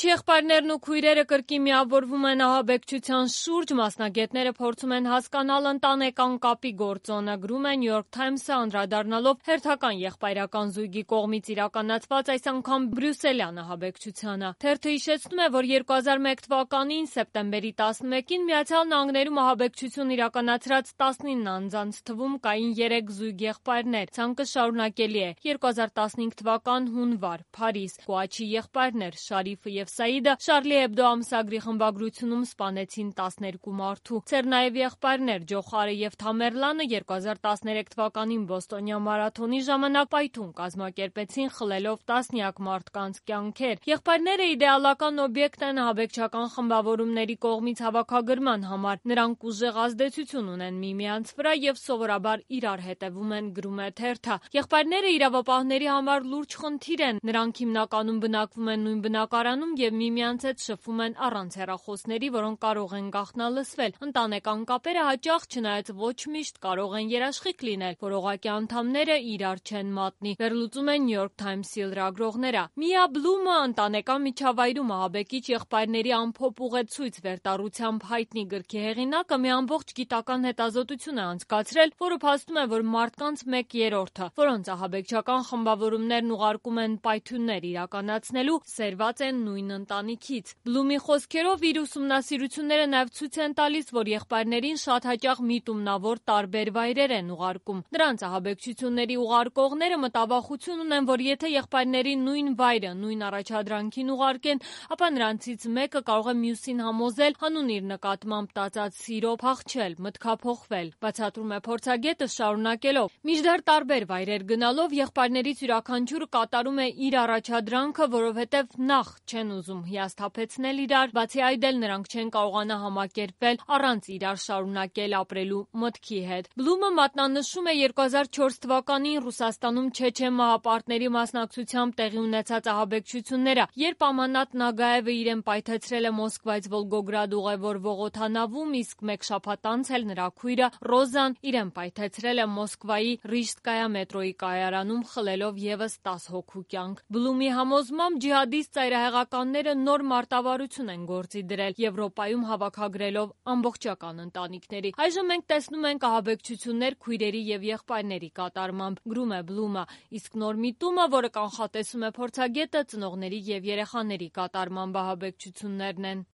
եղբայրներն ու քույրերը կրկին միավորվում են ահաբեկչության շուրջ, մասնագետները փորձում են հասկանալ ընտանեկան կապի գործոնը, գրում է New York Times-ը, անդրադառնալով հերթական եղբայրական զույգի կողմից իրականացված այս անգամ բրյուսելյան ահաբեկչությանը։ Թերթը հիշեցնում է, որ 2001 թվականին սեպտեմբերի 11-ին Միացյալ Նահանգներում ահաբեկչություն իրականացրած 19 անձանց թվում կային 3 զույգ եղբայրներ։ Ցանկը շարունակելի է։ 2015 թվական հունվար, Փարիզ, Կոաչի եղբայրներ Շարիֆը և Սաիդը Շարլի Էբդո ամսագրի խմբագրությունում սպանեցին 12 մարդու։ Ցերնաև եղբայրներ Ջոխարը և Թամերլանը 2013 թվականին բոստոնյան մարաթոնի ժամանակ պայթուն կազմակերպեցին, խլելով տասնյակ մարդկանց կյանքեր։ Եղբայրները իդեալական օբյեկտ են ահաբեկչական խմբավորումների կողմից հավաքագրման համար։ Նրանք ուժեղ ազդեցություն ունեն միմյանց վրա և սովորաբար իրար հետևում են, գրում է թերթը։ Եղբայրները իրավապահների համար լուրջ խնդիր են։ Նրանք հիմնականում բնակվում են նույն բնակարանում և միմյանց հետ շփվում են առանց հեռախոսների, որոնք կարող են գաղտնալսվել։ Ընտանեկան կապերը հաճախ, չնայած ոչ միշտ, կարող են երաշխիք լինել, որողակի անդամները իրար չեն մատնի, վերլուծում են New York Times-ի լրագրողները։ Միա Բլումը ընտանեկան միջավայրում ահաբեկիչ եղբայրների ամփոփ ուղեցույց վերտառությամբ հայտնի գրքի հեղինակը մի ամբողջ գիտական հետազոտություն է անցկացրել, որը փաստում է, որ մարդկանց 1/3-ը, որոնց ահաբեկչական խմբավորումներն ուղարկում են պայթյուններ իրականացնելու, սերված են նույն ընտանիքից։ Բլումի խոսքերով, իր ուսումնասիրությունները նաև ցույց են տալիս, որ եղբայրներին շատ հաճախ միտումնավոր տարբեր վայրեր են ուղարկում։ Նրանց ահաբեկչությունների ուղարկողները մտավախություն ունեն, որ եթե եղբայրներին նույն վայրը, նույն առաջադրանքին ուղարկեն, ապա նրանցից մեկը կարող է մյուսին համոզել հանուն իր նկատմամբ տածած սիրո փախչել, մտքափոխվել։ Բացատրում է փորձագետը, շարունակելով. Մինչդեռ տարբեր վայրեր գնալով եղբայրներից յուրաքանչյուրը կատարում է իր առաջադրանքը, որովհետև նախ չեն ուզում հիասթափեցնել իրար, բացի այդ էլ նրանք չեն կարողանա համակերպվել առանց իրար շարունակել ապրելու մտքի հետ։ Բլումը մատնանշում է 2004 թվականին Ռուսաստանում չեչեն մահապարտների մասնակցությամբ տեղի ունեցած ահաբեկչությունները, երբ Ամանատ Նագաևը իրեն պայթեցրել է Մոսկվայից Վոլգոգրադ ուղևորվող օդանավում, իսկ մեկ շաբաթ անց էլ նրա քույրը Ռոզան իրեն պայթեցրել է Մոսկվայի Ռիժսկայա մետրոյի կայարանում, խլելով ևս 10 հոգու կյանք։ Բլումի համոզմամբ ջիհադիստ ծայրահեղականները նոր մարտավարություն են գործի դրել Եվրոպայում հավաքագրելով ամբողջական ընտանիքների։ Այժմ մենք տեսնում ենք ահաբեկչություններ քույրերի և եղբայրների կատարմամբ, գրում է Բլումը, իսկ նոր միտումը, որը կանխատեսում է փորձագետը, ծնողների և երեխաների կատարմամբ ահաբեկչություններն են։